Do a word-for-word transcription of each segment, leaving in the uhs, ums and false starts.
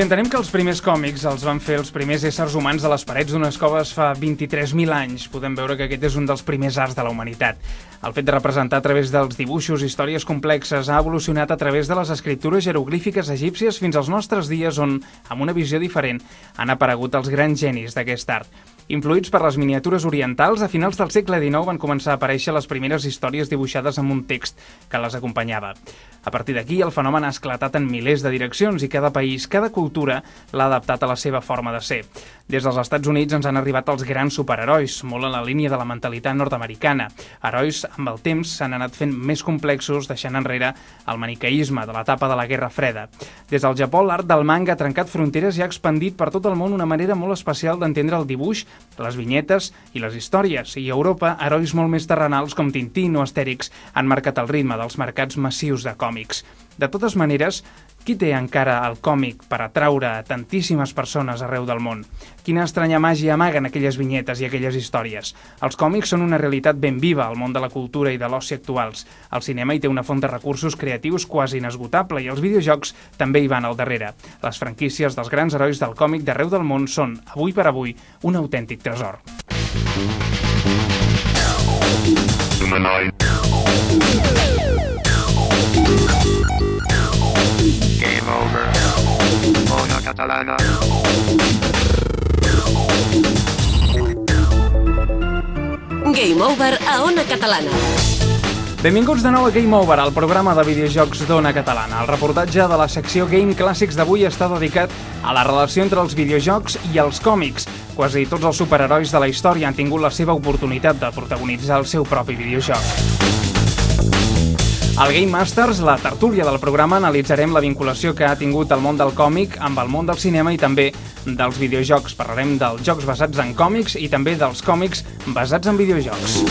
Si entenem que els primers còmics els van fer els primers éssers humans a les parets d'unes coves fa vint-i-tres mil anys, podem veure que aquest és un dels primers arts de la humanitat. El fet de representar a través dels dibuixos històries complexes ha evolucionat a través de les escriptures jeroglífiques egípcies fins als nostres dies on, amb una visió diferent, han aparegut els grans genis d'aquest art. Influïts per les miniatures orientals, a finals del segle dinou van començar a aparèixer les primeres històries dibuixades amb un text que les acompanyava. A partir d'aquí, el fenomen ha esclatat en milers de direccions i cada país, cada cultura, l'ha adaptat a la seva forma de ser. Des dels Estats Units ens han arribat els grans superherois, molt en la línia de la mentalitat nord-americana. Herois, amb el temps, s'han anat fent més complexos, deixant enrere el maniqueisme de l'etapa de la Guerra Freda. Des del Japó, l'art del manga ha trencat fronteres i ha expandit per tot el món una manera molt especial d'entendre el dibuix, les vinyetes i les històries. I a Europa, herois molt més terrenals com Tintín o Astèrix han marcat el ritme dels mercats massius de còmics. De totes maneres, qui té encara el còmic per atraure tantíssimes persones arreu del món? Quina estranya màgia amaguen aquelles vinyetes i aquelles històries? Els còmics són una realitat ben viva al món de la cultura i de l'oci actuals. El cinema hi té una font de recursos creatius quasi inesgotable i els videojocs també hi van al darrere. Les franquícies dels grans herois del còmic d'arreu del món són, avui per avui, un autèntic tresor. Game over. Ona Catalana. Game over a Ona Catalana. Benvinguts de nou a Game Over, el programa de videojocs d'Ona Catalana. El reportatge de la secció Game Clàssics d'avui està dedicat a la relació entre els videojocs i els còmics. Quasi tots els superherois de la història han tingut la seva oportunitat de protagonitzar el seu propi videojoc. Al Game Masters, la tertúlia del programa, analitzarem la vinculació que ha tingut el món del còmic amb el món del cinema i també dels videojocs. Parlarem dels jocs basats en còmics i també dels còmics basats en videojocs.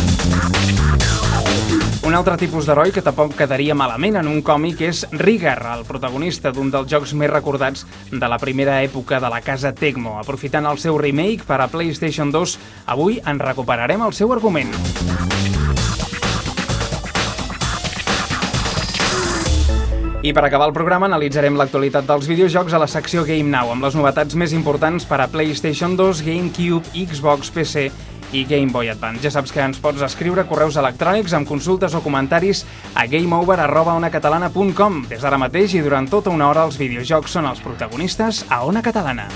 Un altre tipus d'heroi que tampoc quedaria malament en un còmic és Rigger, el protagonista d'un dels jocs més recordats de la primera època de la casa Tecmo. Aprofitant el seu remake per a PlayStation dos, avui en recuperarem el seu argument. I per acabar el programa analitzarem l'actualitat dels videojocs a la secció Game Now, amb les novetats més importants per a PlayStation dos, GameCube, Xbox, P C i Game Boy Advance. Ja saps que ens pots escriure correus electrònics amb consultes o comentaris a gameover arroba onacatalana punt com. Des d'ara mateix i durant tota una hora els videojocs són els protagonistes a Ona Catalana.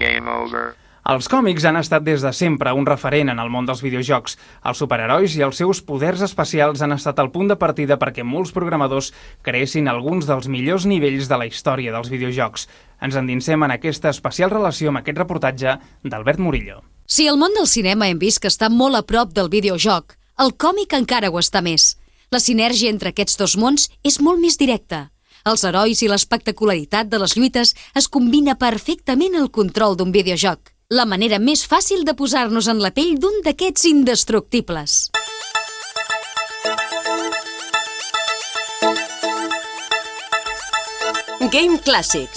Game over. Els còmics han estat des de sempre un referent en el món dels videojocs. Els superherois i els seus poders especials han estat el punt de partida perquè molts programadors creessin alguns dels millors nivells de la història dels videojocs. Ens endinsem en aquesta especial relació amb aquest reportatge d'Albert Murillo. Si el món del cinema hem vist que està molt a prop del videojoc, el còmic encara ho està més. La sinergia entre aquests dos mons és molt més directa. Els herois i l'espectacularitat de les lluites es combina perfectament al control d'un videojoc. La manera més fàcil de posar-nos en la pell d'un d'aquests indestructibles. Game Clàssics.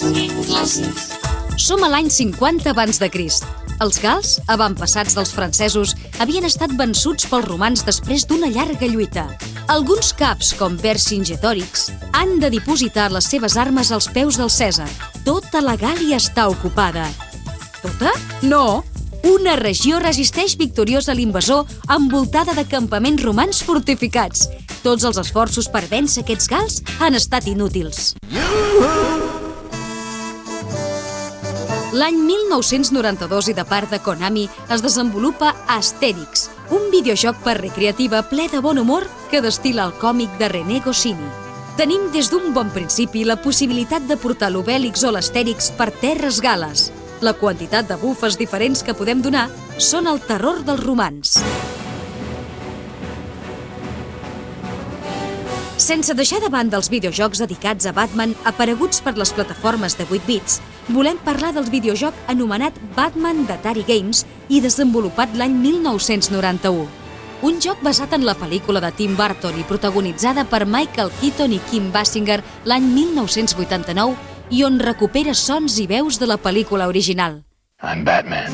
Som a l'any cinquanta abans de Crist. Els gals, avantpassats dels francesos, havien estat vençuts pels romans després d'una llarga lluita. Alguns caps, com Vercingetòrix, han de dipositar les seves armes als peus del Cèsar. Tota la Gàl·lia està ocupada. Tota? No! Una regió resisteix victoriosa a l'invasor envoltada de campaments romans fortificats. Tots els esforços per vèncer aquests gals han estat inútils. L'any mil nou-cents noranta-dos i de part de Konami es desenvolupa Astèrix, un videojoc per recreativa ple de bon humor que destil·la el còmic de René Goscinny. Tenim des d'un bon principi la possibilitat de portar l'Obèlix o l'Astèrix per terres gales. La quantitat de bufes diferents que podem donar són el terror dels romans. Sense deixar de banda els videojocs dedicats a Batman apareguts per les plataformes de vuit bits, volem parlar del videojoc anomenat Batman d'Atari Games i desenvolupat l'any mil nou-cents noranta-u. Un joc basat en la pel·lícula de Tim Burton i protagonitzada per Michael Keaton i Kim Basinger l'any mil nou-cents vuitanta-nou i on recupera sons i veus de la pel·lícula original. I'm Batman.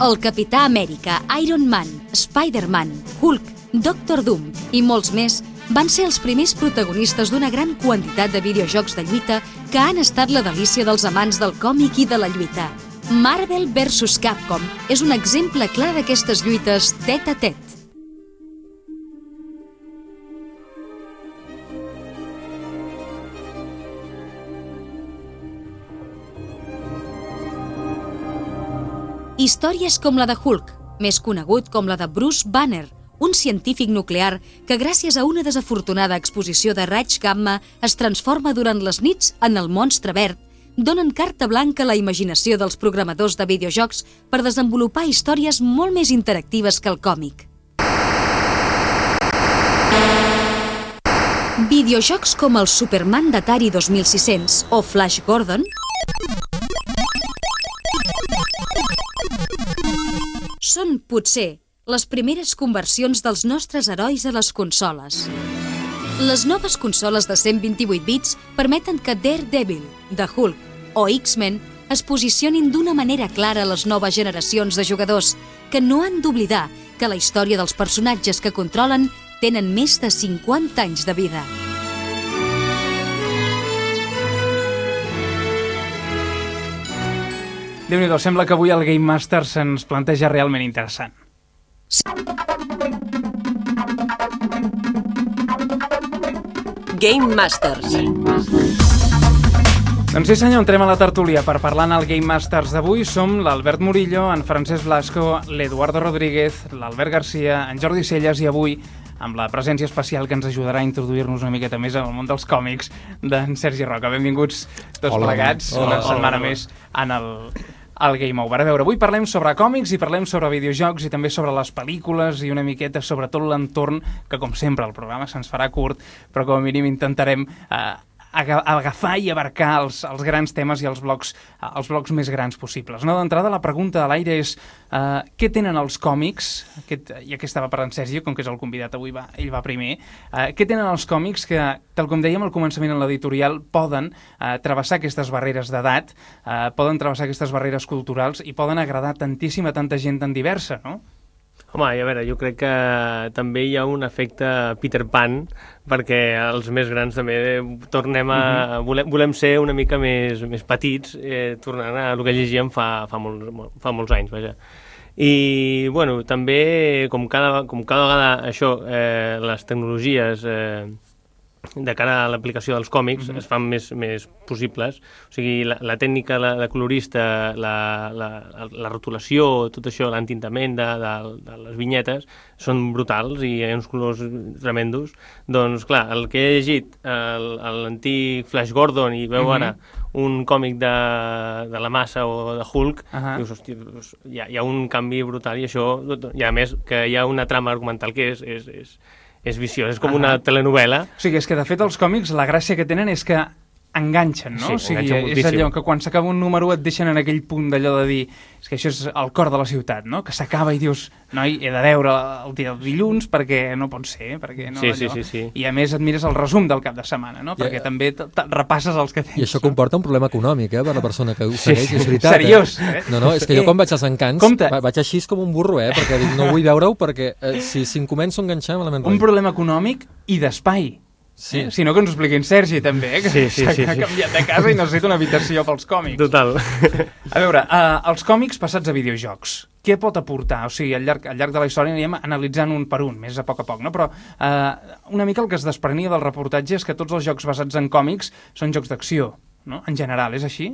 El Capità Amèrica, Iron Man, Spider-Man, Hulk, Doctor Doom i molts més van ser els primers protagonistes d'una gran quantitat de videojocs de lluita que han estat la delícia dels amants del còmic i de la lluita. Marvel versus Capcom és un exemple clar d'aquestes lluites tet a tet. Històries com la de Hulk, més conegut com la de Bruce Banner, un científic nuclear que gràcies a una desafortunada exposició de raigs gamma es transforma durant les nits en el monstre verd, donen carta blanca a la imaginació dels programadors de videojocs per desenvolupar històries molt més interactives que el còmic. Videojocs com el Superman d'Atari dos mil sis-cents o Flash Gordon són, potser, les primeres conversions dels nostres herois a les consoles. Les noves consoles de cent vint-i-vuit bits permeten que Daredevil, The Hulk o X-Men es posicionin d'una manera clara a les noves generacions de jugadors, que no han d'oblidar que la història dels personatges que controlen tenen més de cinquanta anys de vida. Déu-n'hi-do, sembla que avui el Game Master se'ns planteja realment interessant. Game Masters. Doncs sí senyor, entrem a la tertúlia per parlar en el Game Masters d'avui. Som l'Albert Murillo, en Francesc Blasco, l'Eduardo Rodríguez, l'Albert Garcia, en Jordi Celles i avui amb la presència especial que ens ajudarà a introduir-nos una miqueta més al món dels còmics d'en Sergi Roca. Benvinguts tots hola, plegats, hola, una hola, setmana hola. més en el, el Game Over. A veure, avui parlem sobre còmics i parlem sobre videojocs i també sobre les pel·lícules i una miqueta sobre tot l'entorn, que com sempre el programa se'ns farà curt, però com a mínim intentarem eh, agafar i abarcar els, els grans temes i els blocs, els blocs més grans possibles. No, d'entrada, la pregunta a l'aire és uh, què tenen els còmics, aquest, ja que estava parlant Sergi, com que és el convidat avui, va, ell va primer, uh, què tenen els còmics que, tal com dèiem al començament en l'editorial, poden uh, travessar aquestes barreres d'edat, uh, poden travessar aquestes barreres culturals i poden agradar tantíssim a tanta gent tan diversa, no? Home, a veure, jo crec que també hi ha un efecte Peter Pan, perquè els més grans també tornem a... Uh-huh. volem, volem ser una mica més, més petits, eh, tornant a el que llegíem fa, fa, molts, fa molts anys, vaja. I, bueno, també, com cada, com cada vegada això, eh, les tecnologies... Eh, de cara a l'aplicació dels còmics mm-hmm. es fan més, més possibles. O sigui, la, la tècnica la, de colorista, la, la, la rotulació, tot això, l'entintament de, de, de les vinyetes, són brutals i hi ha uns colors tremendos. Doncs, clar, el que he llegit, l'antic Flash Gordon, i veu mm-hmm. ara un còmic de, de la Massa o de Hulk, uh-huh. dius, hòstia, doncs, hi, ha, hi ha un canvi brutal i això, i a més que hi ha una trama argumental que és... és, és és viciós, és com una telenovel·la. O sigui, és que de fet els còmics la gràcia que tenen és que enganxen, no? Sí, o sigui, enganxen moltíssim. És allò que quan s'acaba un número et deixen en aquell punt d'allò de dir és que això és el cor de la ciutat, no? Que s'acaba i dius, noi, he de veure el dia del dilluns perquè no pot ser, perquè no sí, allò. Sí, sí, sí. I a més et mires el resum del cap de setmana, no? Perquè yeah. també repasses els que tens. I això comporta un problema econòmic, eh, per la persona que ho segueix, sí, és veritat. Seriós, eh? eh? No, no, és que jo quan vaig als encants Compte. vaig així com un burro, eh, perquè dic, no vull veure-ho perquè eh, si, si em començo a enganxar malament un problema econòmic i d'espai. Sí. Eh? Si no, que ens ho expliquin Sergi, també, eh? que sí, sí, sí, s'ha sí. canviat de casa i necessita una habitació pels còmics. Total. A veure, uh, els còmics passats a videojocs, què pot aportar? O sigui, al llarg, al llarg de la història anirem analitzant un per un, més a poc a poc, no? Però uh, una mica el que es desprenia del reportatge és que tots els jocs basats en còmics són jocs d'acció, no? En general, és així?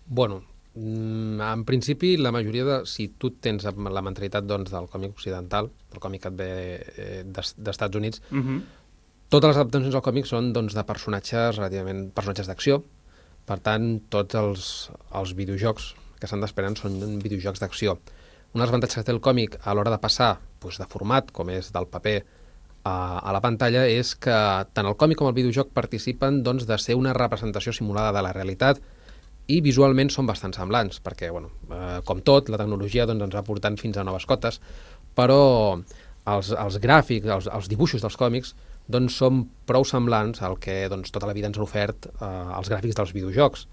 Bueno, en principi, la majoria de... Si tu tens la mentalitat doncs, del còmic occidental, del còmic que et ve eh, d'Estats Units, uh-huh. totes les adaptacions al còmic són doncs, de personatges relativament personatges d'acció. Per tant, tots els, els videojocs que s'han d'esperar són videojocs d'acció. Un dels avantatges que té el còmic a l'hora de passar doncs, de format, com és del paper a, a la pantalla, és que tant el còmic com el videojoc participen doncs, de ser una representació simulada de la realitat i visualment són bastant semblants, perquè, bueno, eh, com tot, la tecnologia doncs, ens va portant fins a noves cotes, però els, els gràfics, els, els dibuixos dels còmics doncs són prou semblants al que doncs, tota la vida ens han ofert eh, els gràfics dels videojocs.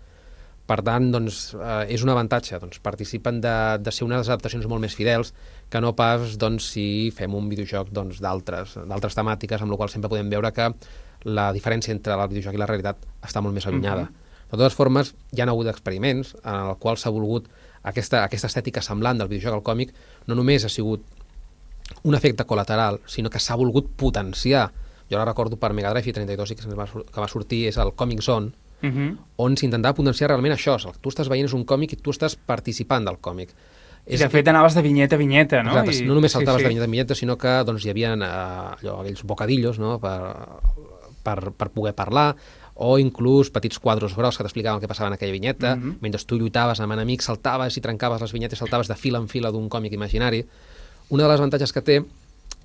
Per tant, doncs, eh, és un avantatge. Doncs, participen de, de ser unes adaptacions molt més fidels que no pas doncs, si fem un videojoc doncs, d'altres d'altres temàtiques, amb la qual sempre podem veure que la diferència entre el videojoc i la realitat està molt més allunyada. Mm-hmm. De totes formes, hi ha hagut experiments en els quals s'ha volgut aquesta, aquesta estètica semblant del videojoc al còmic, no només ha sigut un efecte col·lateral, sinó que s'ha volgut potenciar. Jo ara recordo per Mega Drive i trenta-dos que va, que va sortir és el Comic Zone, Uh-huh. on s'intentava potenciar realment això. El que tu estàs veient és un còmic i tu estàs participant del còmic. I de fet anaves de vinyeta a vinyeta, no? Exacte, I... no només saltaves sí, sí. de vinyeta a vinyeta, sinó que doncs, hi havia eh, allò, aquells bocadillos, no? per, per, per poder parlar, o inclús petits quadros grocs que t'explicaven què passava en aquella vinyeta. Uh-huh. Mentre tu lluitaves amb enemics, saltaves i trencaves les vinyetes, saltaves de fila en fila d'un còmic imaginari. Una de les avantatges que té,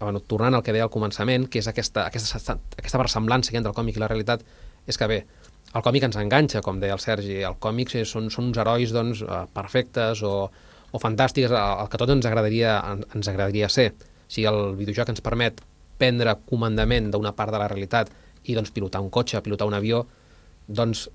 bueno, tornant al que deia al començament, que és aquesta, aquesta, aquesta versemblança entre el còmic i la realitat, és que bé, el còmic ens enganxa, com deia el Sergi. El còmic són, són uns herois doncs, perfectes o, o fantàstics, el que tot ens agradaria, ens agradaria ser. Si el videojoc ens permet prendre comandament d'una part de la realitat i doncs, pilotar un cotxe, pilotar un avió, doncs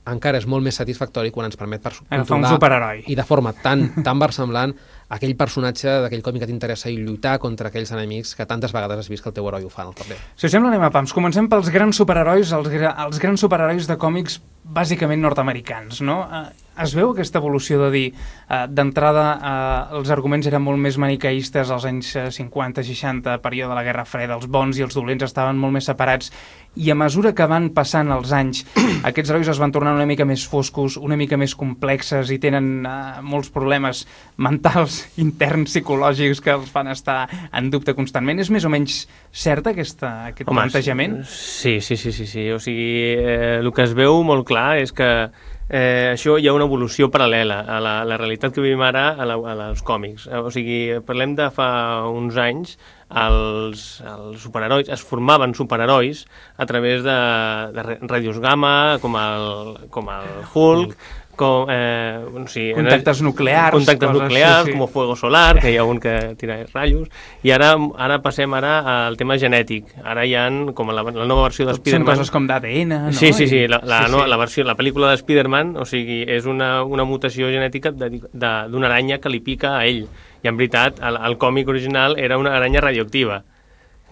encara és molt més satisfactori quan ens permet agafar un superheroi i de forma tan, tan versemblant aquell personatge d'aquell còmic que t'interessa i lluitar contra aquells enemics que tantes vegades has vist que el teu heroi ho fa en el paper. Si us sembla, anem a pams. Comencem pels grans superherois, els, gra els grans superherois de còmics bàsicament nord-americans, no? Eh, es veu aquesta evolució de dir, eh, d'entrada eh, els arguments eren molt més manicaistes als anys cinquanta seixanta, període de la Guerra Freda, els bons i els dolents estaven molt més separats, i a mesura que van passant els anys, aquests herois es van tornar una mica més foscos, una mica més complexes i tenen eh, molts problemes mentals, interns, psicològics, que els fan estar en dubte constantment. És més o menys cert aquesta, aquest Home, plantejament? Sí, sí, sí, sí, sí. O sigui, eh, el que es veu molt clar és que eh, això hi ha una evolució paral·lela a la, a la realitat que vivim ara a la, a als còmics. O sigui, parlem de fa uns anys, els, els superherois, es formaven superherois a través de, de radios gamma, com el, com el Hulk, com, eh, no sé, contactes nuclears, contactes coses, nuclears, sí, sí. com Fuego Solar, que hi ha un que tira ratllos, i ara, ara passem ara al tema genètic. Ara hi ha com la, la nova versió de Spider-Man. Són coses com d'A D N, no? Sí, sí, sí, la, la, sí, no, sí. la, versió, la pel·lícula de Spider-Man, o sigui, és una, una mutació genètica d'una aranya que li pica a ell. I en veritat, el, el còmic original era una aranya radioactiva.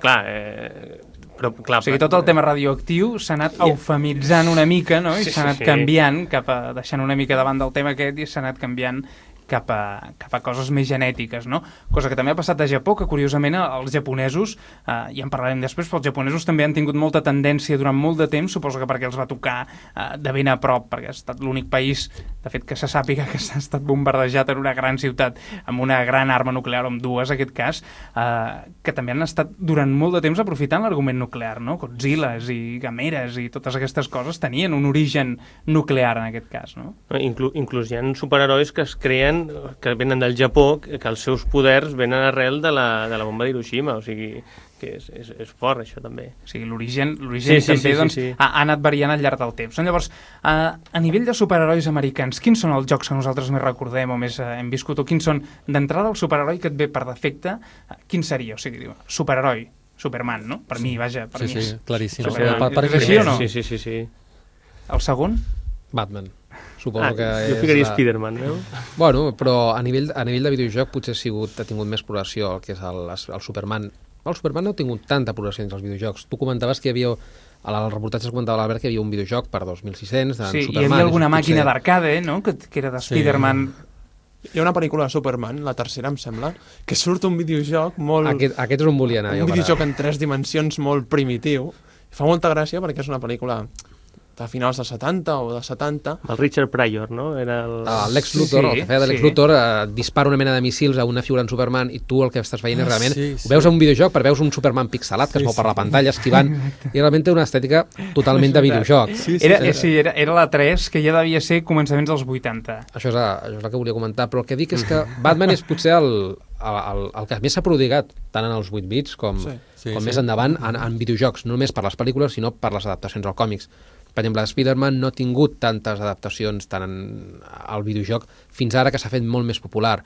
Clar, eh, però, clar, o sigui, tot el tema radioactiu s'ha anat eufemitzant una mica, no? I s'ha sí, anat sí. canviant, cap a, deixant una mica davant del tema aquest, i s'ha anat canviant cap a, cap a coses més genètiques, no? Cosa que també ha passat a Japó, que curiosament els japonesos, eh, ja en parlarem després, però els japonesos també han tingut molta tendència durant molt de temps, suposo que perquè els va tocar eh, de ben a prop, perquè ha estat l'únic país, de fet que se sàpiga que s'ha estat bombardejat en una gran ciutat amb una gran arma nuclear, o amb dues, en aquest cas, eh, que també han estat durant molt de temps aprofitant l'argument nuclear, no? Godzillas i Gameras i totes aquestes coses tenien un origen nuclear en aquest cas, no? Inclu inclús hi ha superherois que es creen que venen del Japó, que els seus poders venen arrel de la, de la bomba d'Hiroshima, o sigui, que és, és, és fort això també. O sigui, l'origen sí, sí, també sí, doncs, sí, sí. Ha, ha anat variant al llarg del temps. Llavors, eh, a nivell de superherois americans, quins són els jocs que nosaltres més recordem o més eh, hem viscut, o quins són, d'entrada, el superheroi que et ve per defecte, eh, quin seria? O sigui, superheroi, Superman, no? Per sí. mi, vaja, per sí, mi. Sí, claríssim. Sí, per, per, per és així o no? Sí, sí, sí, sí. El segon? Batman. Suposo ah, que jo ficaria la... Spider-Man, no? Bueno, però a nivell, a nivell de videojoc potser ha, sigut, ha tingut més progressió el que és el, el Superman. El Superman no ha tingut tanta progressió entre els videojocs. Tu comentaves que hi havia, al reportatge es comentava l'Albert que hi havia un videojoc per dos mil sis-cents d'en sí, Superman. Sí, hi havia alguna potser... màquina d'arcade, no?, que, que era de Spider-Man. Sí. Hi ha una pel·lícula de Superman, la tercera, em sembla, que surt un videojoc molt... Aquest, aquest és on volia anar. Un videojoc en tres dimensions molt primitiu. Fa molta gràcia perquè és una pel·lícula de finals dels setanta o de setanta. El Richard Pryor, no? Era el... el Lex Luthor, sí, el que feia de Lex sí. Luthor, eh, dispara una mena de missils a una figura en Superman i tu el que estàs veient és realment... Ah, sí, sí. Ho veus en un videojoc, però veus un Superman pixelat que sí, es mou per la pantalla esquivant i realment té una estètica totalment de videojoc. Sí, sí, era, sí, sí, era, era la tres, que ja devia ser començaments dels vuitanta. Això és, a, això és el que volia comentar, però el que dic és que Batman és potser el, el, el que més s'ha prodigat, tant en els vuit bits com, sí. Sí, com sí. més endavant en, en videojocs, no només per les pel·lícules, sinó per les adaptacions als còmics. Per exemple, Spider-Man no ha tingut tantes adaptacions tant en, al videojoc fins ara que s'ha fet molt més popular.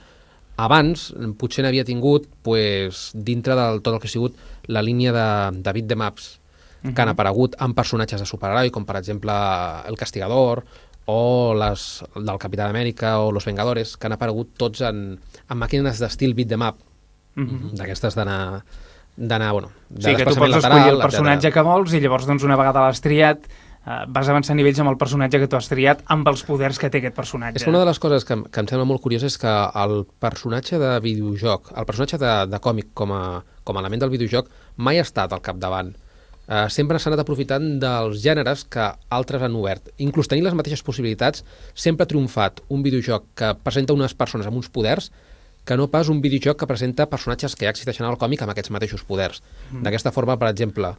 Abans, potser n'havia tingut pues, dintre de tot el que ha sigut la línia de, de beat-em-ups uh-huh. que han aparegut amb personatges de superheroi, com per exemple El Castigador o les del Capitán Amèrica o Los Vengadores, que han aparegut tots en, en màquines d'estil beat them up, mm-hmm. d'aquestes d'anar d'anar, bueno, de sí, que tu pots escollir el personatge etcètera. Que vols i llavors doncs una vegada l'has triat uh, vas avançar nivells amb el personatge que tu has triat amb els poders que té aquest personatge. És que una de les coses que, que em sembla molt curiosa és que el personatge de videojoc, el personatge de, de còmic com a, com a element del videojoc mai ha estat al capdavant. Uh, sempre s'han anat aprofitant dels gèneres que altres han obert. Inclús tenir les mateixes possibilitats, sempre ha triomfat un videojoc que presenta unes persones amb uns poders que no pas un videojoc que presenta personatges que ja existeixen al còmic amb aquests mateixos poders. Mm. D'aquesta forma, per exemple,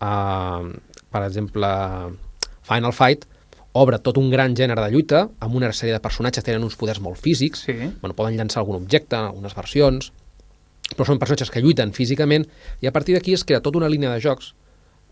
uh, per exemple, Final Fight obre tot un gran gènere de lluita amb una sèrie de personatges que tenen uns poders molt físics, sí. Bueno, poden llançar algun objecte en algunes versions, però són personatges que lluiten físicament i a partir d'aquí es crea tota una línia de jocs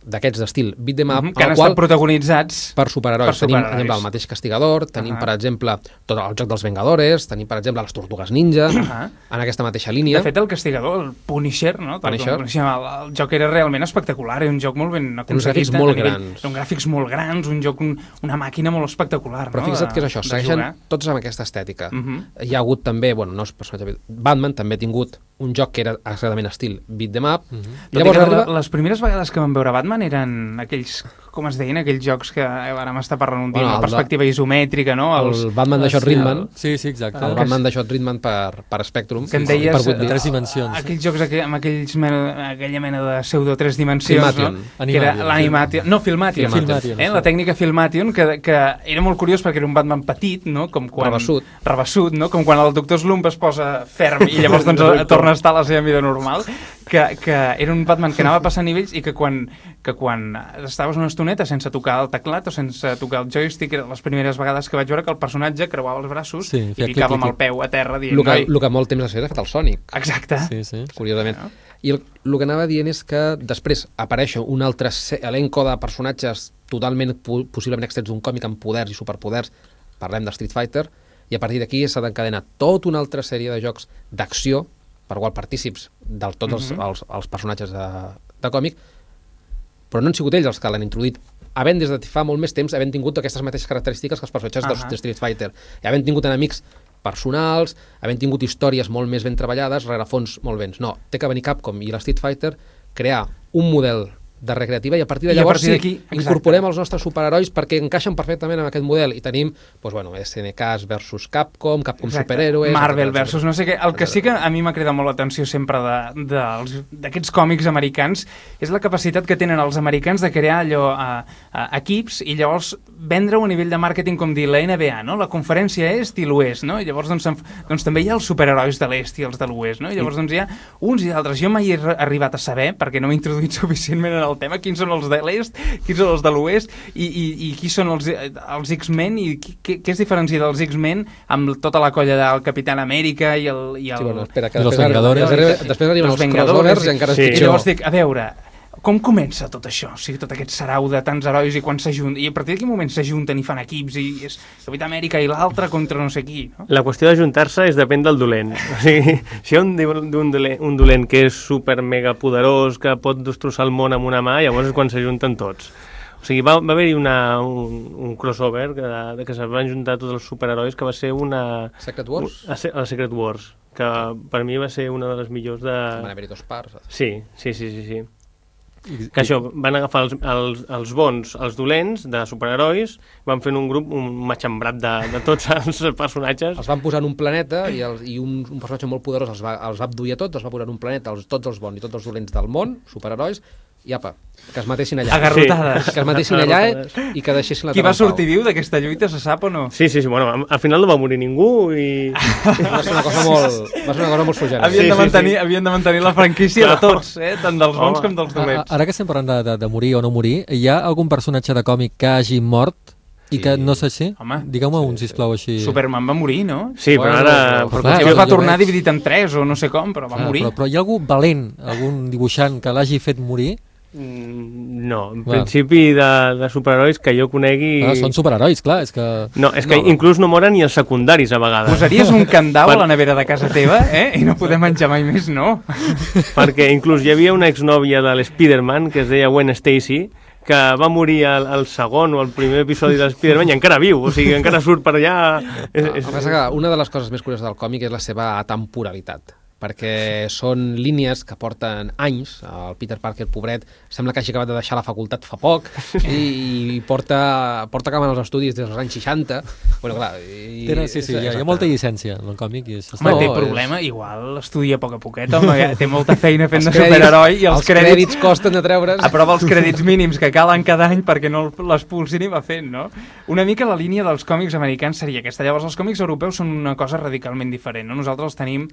d'aquests d'estil beat them up, mm-hmm, que han estat protagonitzats per superherois. Per tenim, superherois. Tenim el mateix Castigador, tenim, uh-huh. per exemple, tot el joc dels Vengadores, tenim, per exemple, les Tortugues Ninja, uh-huh. en aquesta mateixa línia. De fet, el Castigador, el Punisher, no? Punisher. El, el joc era realment espectacular, era un joc molt ben aconseguit. Uns gràfics molt grans. Uns gràfics molt grans, un joc, un, una màquina molt espectacular. Però no? fixa't de, que és això, segueixen tots amb aquesta estètica. Uh-huh. Hi ha hagut també, bueno, no és personatge, Batman també ha tingut un joc que era exactament estil beat them up. Uh-huh. Llavors, arriba... Les primeres vegades que vam veure Batman eren aquells, com es deien, aquells jocs que ara m'està parlant un dia, bueno, una perspectiva ba... isomètrica, no? Els... El Batman de Shot Ridman. Sí, sí, exacte. El Batman de Shot Ridman per, per Spectrum. Que en deies, per tres dimensions. Aquells jocs aqu amb aquells mena, aquella mena de pseudo tres dimensions, Filmation. No? Que era l'Animation. No, Filmation. Filmation. Eh? La tècnica Filmation, que, que era molt curiós perquè era un Batman petit, no? Com quan... Rebassut. Rebassut, no? Com quan el doctor Slump es posa ferm i llavors doncs, torna a estar a la seva vida normal. Que, que era un Batman que anava passant nivells i que quan, que quan estaves una estoneta sense tocar el teclat o sense tocar el joystick, eren les primeres vegades que vaig veure que el personatge creuava els braços sí, i ficava amb el peu a terra dient... El que, el que molt temps ha fet el Sonic. Exacte. Sí, sí. Curiosament. No? I el, el que anava dient és que després apareix un altre elenco de personatges totalment possiblement extrets d'un còmic amb poders i superpoders, parlem de Street Fighter, i a partir d'aquí s'ha d'encadenar tota una altra sèrie de jocs d'acció per qual partícips de tots els, mm-hmm. els, els personatges de, de còmic, però no han sigut ells els que l'han introduït, havent des de fa molt més temps, havent tingut aquestes mateixes característiques que els personatges uh-huh. de Street Fighter, i havent tingut enemics personals, havent tingut històries molt més ben treballades, rerefons molt bens. No, té que venir Capcom i la Street Fighter crear un model de recreativa i a partir de llavors partir sí, incorporem els nostres superherois perquè encaixen perfectament en aquest model i tenim, doncs bueno, S N K versus Capcom, Capcom exacte. Superhéroes... Marvel versus no sé què. El que sí que a mi m'ha cridat molt l'atenció sempre d'aquests còmics americans és la capacitat que tenen els americans de crear allò a, a equips i llavors vendre-ho a nivell de màrqueting com dir la N B A, no? La conferència est i l'oest, no? I llavors doncs, doncs també hi ha els superherois de l'est i els de l'oest, no? I llavors doncs hi ha uns i altres. Jo mai he arribat a saber, perquè no m'he introduït suficientment en el tema, quins són els de l'est, quins són els de l'oest i, i, i qui són els, els X-Men i què, què es diferencia dels X-Men amb tota la colla del Capitán Amèrica i el... I el... Sí, bueno, espera, que I després, Vengadores. Després, després arriben els, els crossovers i encara és sí. pitjor. I llavors dic, a veure, com comença tot això? O sigui, tot aquest sarau de tants herois i quan s'ajunten, i a partir de quin moment s'ajunten i fan equips i és Capità Amèrica i l'altre contra no sé qui, no? La qüestió d'ajuntar-se és depèn del dolent. O sigui, si hi ha un, un, dolent, un dolent que és super mega poderós, que pot destrossar el món amb una mà, llavors és quan s'ajunten tots. O sigui, va, va haver-hi una, un, un crossover que, de, que es van juntar tots els superherois, que va ser una... Secret Wars? A, a Secret Wars, que per mi va ser una de les millors de... Van haver-hi dos parts. Sí, sí, sí, sí, sí. Que això, van agafar els, els, els bons, els dolents de superherois, van fer un grup, un matxembrat de, de tots els personatges. Els van posar en un planeta i, el, i un, un personatge molt poderós els va, els va abduir a tots, els va posar en un planeta, els, tots els bons i tots els dolents del món, superherois, i apa, que es matessin allà. Agarrotades. Sí. Que es matessin allà i que deixessin la Qui va sortir viu d'aquesta lluita, se sap o no? Sí, sí, sí, bueno, al final no va morir ningú i... Va ser una cosa molt, va ser una cosa molt suggerent. Havien, sí, de mantenir, sí, sí. havien de mantenir la franquícia de tots, eh? Tant dels bons com dels dolents. Ara que estem parlant de, de, de morir o no morir, hi ha algun personatge de còmic que hagi mort i que no sé si... Digueu-me un, sisplau, així... Superman va morir, no? Sí, però ara... Però clar, es va tornar dividit en tres o no sé com, però va ah, morir. Però, però hi ha algú valent, algun dibuixant que l'hagi fet morir? No, en ah. principi de, de superherois que jo conegui... Ah, són superherois, clar, és que... No, és que no. Inclús no moren ni els secundaris a vegades. Posaries un candau a la nevera de casa teva, eh? I no podem menjar mai més, no? Perquè inclús hi havia una exnòvia de l'Spiderman que es deia Gwen Stacy, que va morir al, al segon o al primer episodi de Spider-Man i encara viu, o sigui, encara surt per allà. És, és... El que passa que una de les coses més curioses del còmic és la seva atemporalitat, perquè són línies que porten anys. El Peter Parker, pobret, sembla que hagi acabat de deixar la facultat fa poc i, i porta, porta acabant els estudis des dels anys seixanta. Bueno, clar, i... Tenen, sí, sí, hi ha, hi ha molta llicència en el còmic. I home, no, té problema, és... igual estudia a poc a poquet, home, té molta feina fent de superheroi i els, els crèdits... crèdits costen de treure's. Aprova els crèdits mínims que calen cada any perquè no l'expulsin i va fent, no? Una mica la línia dels còmics americans seria aquesta. Llavors, els còmics europeus són una cosa radicalment diferent, no? Nosaltres els tenim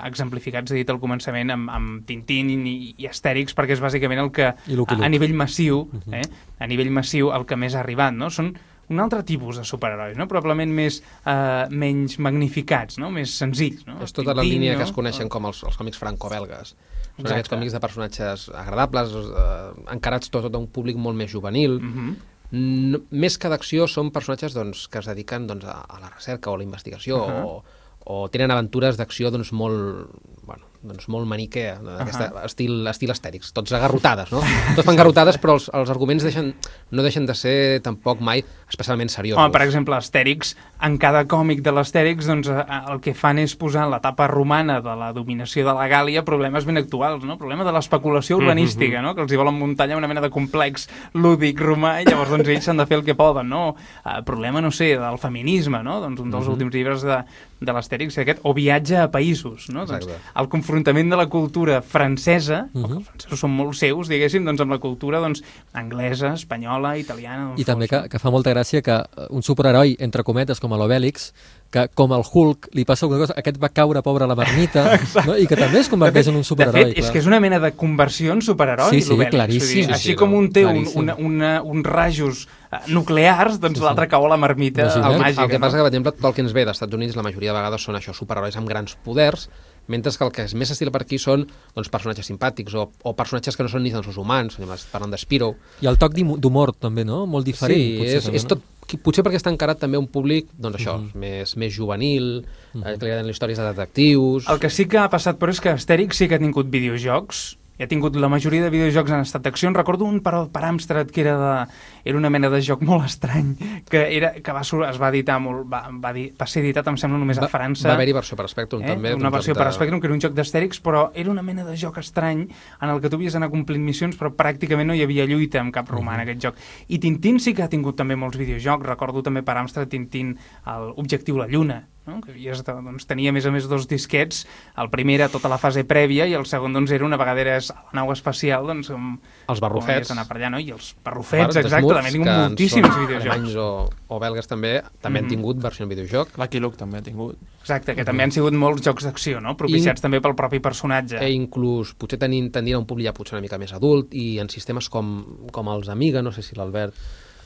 exemplificats, he dit al començament, amb, amb Tintín i, i Astèrix, perquè és bàsicament el que a, a nivell massiu, eh, a nivell massiu el que més ha arribat, no? Són un altre tipus de superherois, no? Probablement més, eh, menys magnificats, no? Més senzills, no? És tota Tintín, la línia, no? Que es coneixen com els, els còmics franco-belgues. Són Exacte. Aquests còmics de personatges agradables, eh, encarats tot, tot a un públic molt més juvenil. Uh-huh. No, més que d'acció són personatges doncs, que es dediquen doncs, a, a la recerca o a la investigació uh-huh. o o tenen aventures d'acció doncs, molt, bueno, doncs, molt maniquea, d'aquest uh-huh. estil, estil Astèrix, tots agarrotades, no? Tots fan garrotades, però els, els arguments deixen, no deixen de ser tampoc mai especialment seriosos. Home, per exemple, Astèrix, en cada còmic de l'Astèrix, doncs, el que fan és posar en l'etapa romana de la dominació de la Gàlia problemes ben actuals, no? Problema de l'especulació urbanística, uh-huh. no? Que els hi volen muntar allà una mena de complex lúdic romà i llavors doncs, ells s'han de fer el que poden, no? Uh, problema, no sé, del feminisme, no? Doncs un dels uh-huh. últims llibres de, de l'Astèrix aquest, o viatge a països, no? Doncs, el confrontament de la cultura francesa, uh-huh. que els francesos són molt seus, diguéssim, doncs amb la cultura doncs, anglesa, espanyola, italiana... I també que, que fa molta gràcia que un superheroi, entre cometes, com a l'Obèlix, que com el Hulk li passa alguna cosa, aquest va caure pobre a la marmita, no? I que també es converteix en un superheroi. De fet, clar. És que és una mena de conversió en superheroi, sí, sí, l'Obèlix. Claríssim. Dir, així sí, com no, un té un, una, una, uns rajos nuclears, doncs sí, sí. l'altre cau a la marmita sí, sí. màgica. El que no? passa que, per exemple, tot el que ens ve dels Estats Units, la majoria de vegades són això, superherois amb grans poders, mentre que el que és més estil per aquí són doncs, personatges simpàtics o, o personatges que no són ni tan sols humans, parlant de Spiro. I el toc d'humor també, no? Molt diferent. Sí, potser, és, també, és tot, potser perquè està encarat també a un públic, doncs això, uh -huh. més, més juvenil, uh -huh. eh, que li agraden les històries de detectius... El que sí que ha passat, però, és que Astèrix sí que ha tingut videojocs, i ha tingut la majoria de videojocs en estat d'acció. En recordo un per, per Amstrad que era, de, era una mena de joc molt estrany, que, era, que va, es va editar molt, va, va, dir, va ser editat, em sembla, només a França. Va haver-hi versió per Spectrum, eh? també. Una versió per de... Spectrum, que era un joc d'Astèrix, però era una mena de joc estrany en el que tu havies d'anar complint missions, però pràcticament no hi havia lluita amb cap romà en aquest joc. I Tintín sí que ha tingut també molts videojocs. Recordo també per Amstrad Tintín l'Objectiu la Lluna, no? Que havies de, doncs, tenia a més a més dos disquets. El primer era tota la fase prèvia i el segon doncs, era una vegada eres a la nau espacial, doncs, com, els barrufets, anar per allà, no? I els barrufets, exacte, també han tingut moltíssims videojocs. O, o belgues també, també mm. han tingut versió en videojoc. Lucky Luke també ha tingut. Exacte, que mm. també han sigut molts jocs d'acció, no? Propiciats I, també pel propi personatge. I inclús, potser tenint, tendint a un públic ja potser una mica més adult, i en sistemes com, com els Amiga, no sé si l'Albert...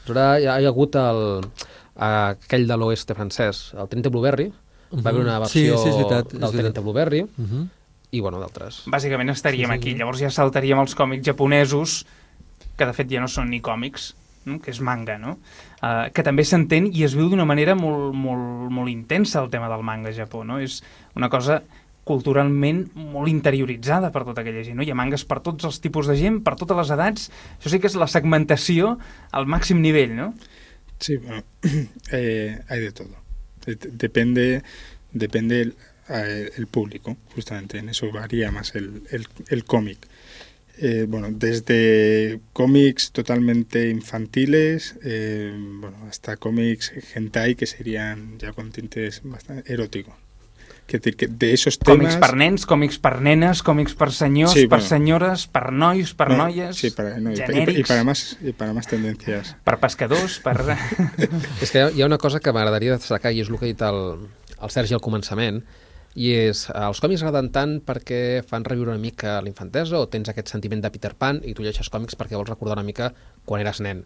Hi ha, hi ha hagut el, aquell de l'oeste francès, el Trinity Blueberry, uh-huh. va haver una versió sí, sí, és veritat, del Trinity Blueberry, uh-huh. i bueno, d'altres. Bàsicament estaríem sí, sí, aquí, sí. llavors ja saltaríem els còmics japonesos, que de fet ja no són ni còmics, no? Que és manga, no? Uh, que també s'entén i es viu d'una manera molt, molt, molt intensa el tema del manga a Japó, no? És una cosa culturalment molt interioritzada per tota aquella gent, no? Hi ha mangas per tots els tipus de gent, per totes les edats. Això sí que és la segmentació al màxim nivell, ¿no? Sí, bueno, eh, hay de todo. Depende, depende el, el público, justamente, en eso varía más el, el, el cómic. Eh, bueno, desde cómics totalmente infantiles, eh, bueno, hasta cómics hentai, que serían ya con tintes bastante eróticos. Que, que de esos temas... Còmics per nens, còmics per nenes, còmics per senyors, sí, per bueno, senyores, per nois, per no, noies, sí, para, no, genèrics... Y, y, para más, y para más tendencias. Per pescadors, per... És que hi ha una cosa que m'agradaria destacar, i és el que ha dit el, el Sergi al començament, i és, els còmics agraden tant perquè fan reviure una mica la infantesa, o tens aquest sentiment de Peter Pan i tu llegeixes còmics perquè vols recordar una mica quan eres nen.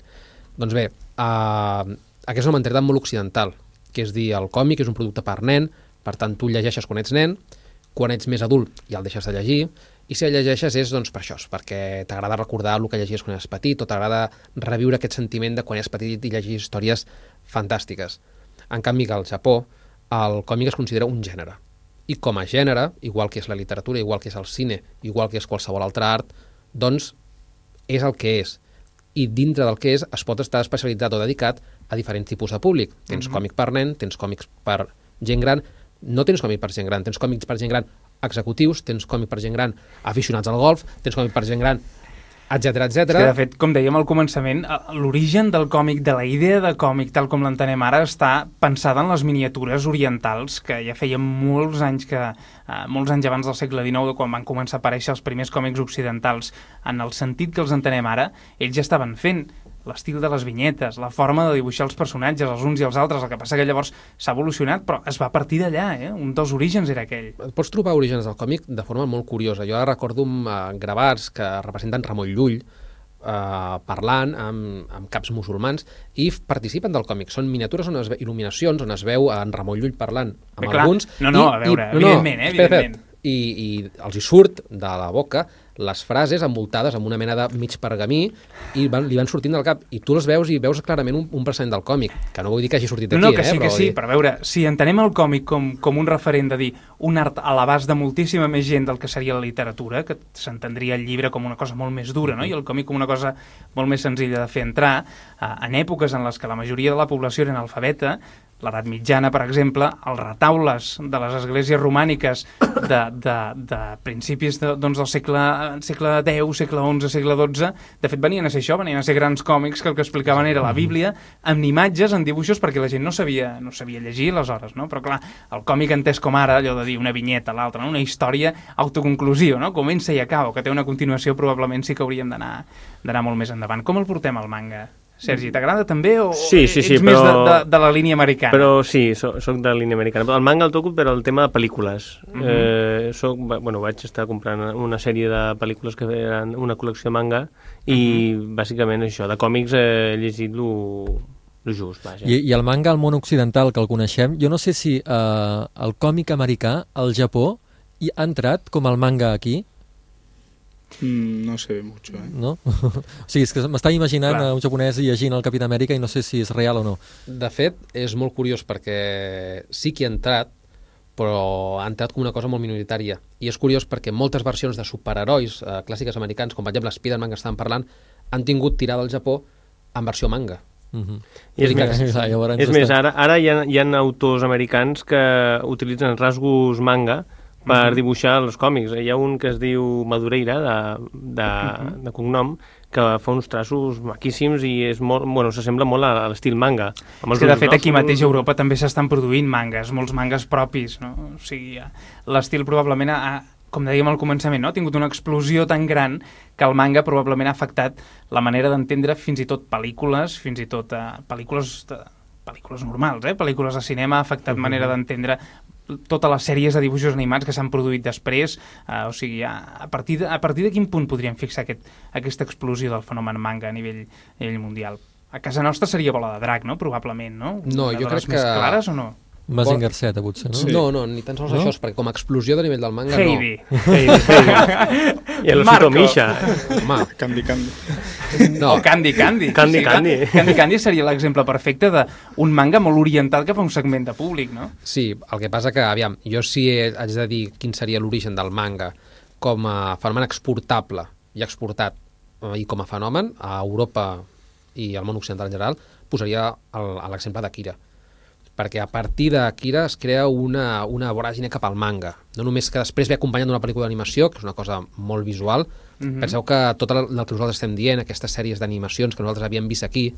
Doncs bé, uh, aquesta és una mentalitat molt occidental, que és dir, el còmic és un producte per nen, per tant, tu el llegeixes quan ets nen, quan ets més adult ja el deixes de llegir, i si el llegeixes és doncs, per això, perquè t'agrada recordar el que llegies quan eres petit, o t'agrada reviure aquest sentiment de quan eres petit i llegir històries fantàstiques. En canvi, al Japó, el còmic es considera un gènere. I com a gènere, igual que és la literatura, igual que és el cine, igual que és qualsevol altre art, doncs és el que és. i dintre del que és es pot estar especialitzat o dedicat a diferents tipus de públic. Tens mm-hmm. còmic per nen, tens còmics per gent gran, no tens còmic per gent gran, tens còmics per gent gran executius, tens còmic per gent gran aficionats al golf, tens còmic per gent gran, etcètera, etcètera. De fet, com dèiem al començament, l'origen del còmic, de la idea de còmic tal com l'entenem ara, està pensada en les miniatures orientals, que ja feien molts anys que eh, molts anys abans del segle dinou, de quan van començar a aparèixer els primers còmics occidentals. En el sentit que els entenem ara, ells ja estaven fent l'estil de les vinyetes, la forma de dibuixar els personatges, els uns i els altres. El que passa que llavors s'ha evolucionat, però es va partir d'allà, eh? Un dels orígens era aquell. Pots trobar orígens del còmic de forma molt curiosa. Jo ara recordo uh, gravats que representen Ramon Llull uh, parlant amb, amb caps musulmans i participen del còmic. Són miniatures, on es ve, il·luminacions, on es veu en Ramon Llull parlant amb Bé, clar. alguns. No, no, i, a veure, i, no, evidentment, eh, evidentment. I, i els hi surt de la boca les frases envoltades amb una mena de mig pergamí i van, li van sortint del cap i tu les veus i veus clarament un, un present del còmic, que no vull dir que hagi sortit d'aquí, no, no, que eh? sí, que però sí, dir... però a veure, si entenem el còmic com, com un referent de dir un art a l'abast de moltíssima més gent del que seria la literatura, que s'entendria el llibre com una cosa molt més dura, no? I el còmic com una cosa molt més senzilla de fer entrar, eh, en èpoques en les que la majoria de la població era analfabeta, l'edat mitjana, per exemple, els retaules de les esglésies romàniques de, de, de principis de, doncs, del segle, segle deu, segle onze, segle dotze, de fet venien a ser això, venien a ser grans còmics que el que explicaven era la Bíblia, amb imatges, en dibuixos, perquè la gent no sabia, no sabia llegir aleshores, no? Però clar, el còmic entès com ara, allò de dir una vinyeta a l'altra, no? Una història autoconclusiva, no? Comença i acaba, que té una continuació, probablement sí que hauríem d'anar d'anar molt més endavant. Com el portem al manga? Sergi, t'agrada també o sí, sí, sí, ets però... més de, de, de la línia americana? Però sí, soc, soc de la línia americana. El manga el toco per al tema de pel·lícules. Uh-huh. eh, soc, bueno, vaig estar comprant una sèrie de pel·lícules que eren una col·lecció de manga i uh-huh. bàsicament això, de còmics he llegit lo, lo just. Vaja. I, I el manga al món occidental, que el coneixem, jo no sé si eh, el còmic americà al Japó hi ha entrat com el manga aquí. Mm, no se ve mucho, eh? No? O sigui, és que m'estava imaginant Clar. un japonès llegint el Capità Amèrica i no sé si és real o no. De fet, és molt curiós perquè sí que ha entrat, però ha entrat com una cosa molt minoritària. I és curiós perquè moltes versions de superherois eh, clàssiques americans, com per exemple Spider-Man que estàvem parlant, han tingut tirada al Japó en versió manga. Uh-huh. I és més, que... és més ara, ara hi ha, hi ha autors americans que utilitzen rasgos manga per uh-huh. dibuixar els còmics. Hi ha un que es diu Madureira, de, de, uh-huh. de cognom, que fa uns traços maquíssims i és molt, bueno, s'assembla molt a, a l'estil manga. És que, de fet, aquí mateix a Europa també s'estan produint mangas, molts mangas propis, no? O sigui, l'estil probablement ha, com dèiem al començament, no? Ha tingut una explosió tan gran que el manga probablement ha afectat la manera d'entendre fins i tot pel·lícules, fins i tot uh, pel·lícules, de, pel·lícules normals, eh? Pel·lícules de cinema, ha afectat uh-huh. manera d'entendre totes les sèries de dibuixos animats que s'han produït després, uh, o sigui, a, a, partir de, a partir de quin punt podríem fixar aquest, aquesta explosió del fenomen manga a nivell, a nivell mundial? A casa nostra seria Bola de Drac, no? Probablement, no? No, Una jo de crec les més que... clares o no? Mazinger Z, potser, no? Sí. No, no, ni tan sols no? això, perquè com a explosió de nivell del manga, Heidi. no. Heidi. Heidi. I el Osito Misha. Home, Candy Candy. no. O Candy Candy. Candy Sí, Candy. Candy Candy seria l'exemple perfecte d'un manga molt oriental cap a un segment de públic, no? Sí, el que passa que, aviam, jo sí haig de dir quin seria l'origen del manga com a fenomen exportable i exportat i com a fenomen a Europa i al món occidental en general, posaria l'exemple d'Akira. Perquè a partir d'Akira es crea una, una voràgine cap al manga. No només que després ve acompanyant d'una pel·lícula d'animació, que és una cosa molt visual. Mm-hmm. Penseu que tot el, el que nosaltres estem dient, aquestes sèries d'animacions que nosaltres havíem vist aquí,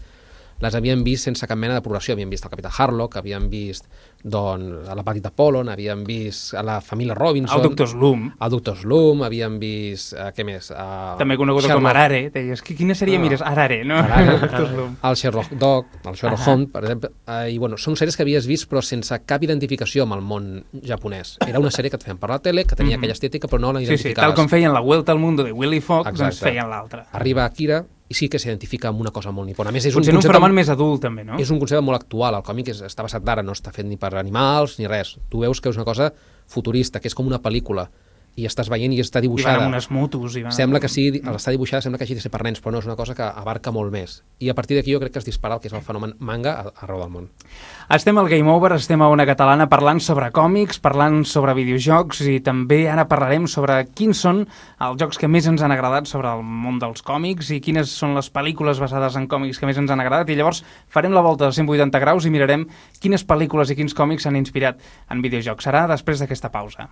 les havíem vist sense cap mena de progressió. Havíem vist el Capità Harlock, havíem vist doncs, a la Petita Polon, havíem vist a la família Robinson... El Doctor Slum. El Doctor Slum, havíem vist... Uh, què més? Uh, També conegut Sherlock... com Arare. Deies, quina sèrie no. mires? Arare, no? Arare. Doctor Slum. El Sherlock Dog, el Sherlock Holmes, per exemple. Uh, I bueno, són sèries que havies vist però sense cap identificació amb el món japonès. Era una sèrie que et feien per la tele, que tenia mm-hmm. aquella estètica però no la identificaves. Sí, sí, tal com feien la Vuelta al Mundo de Willy Fogg, Exacte. doncs feien l'altra. Arriba Akira i sí que s'identifica amb una cosa molt nipona. A més, és Potser un, un fenomen més adult, també, no? És un concepte molt actual. El còmic és, està basat d'ara, no està fet ni per animals ni res. Tu veus que és una cosa futurista, que és com una pel·lícula, i estàs veient i està I dibuixada. van amb unes motos. I van Sembla amb... que sigui, al estar dibuixada sembla que hagi de ser per nens, però no, és una cosa que abarca molt més. I a partir d'aquí jo crec que es dispara el que és el fenomen manga arreu del món. Estem al Game Over, estem a Ona Catalana parlant sobre còmics, parlant sobre videojocs i també ara parlarem sobre quins són els jocs que més ens han agradat sobre el món dels còmics i quines són les pel·lícules basades en còmics que més ens han agradat, i llavors farem la volta de cent vuitanta graus i mirarem quines pel·lícules i quins còmics s'han inspirat en videojocs. Serà després d'aquesta pausa.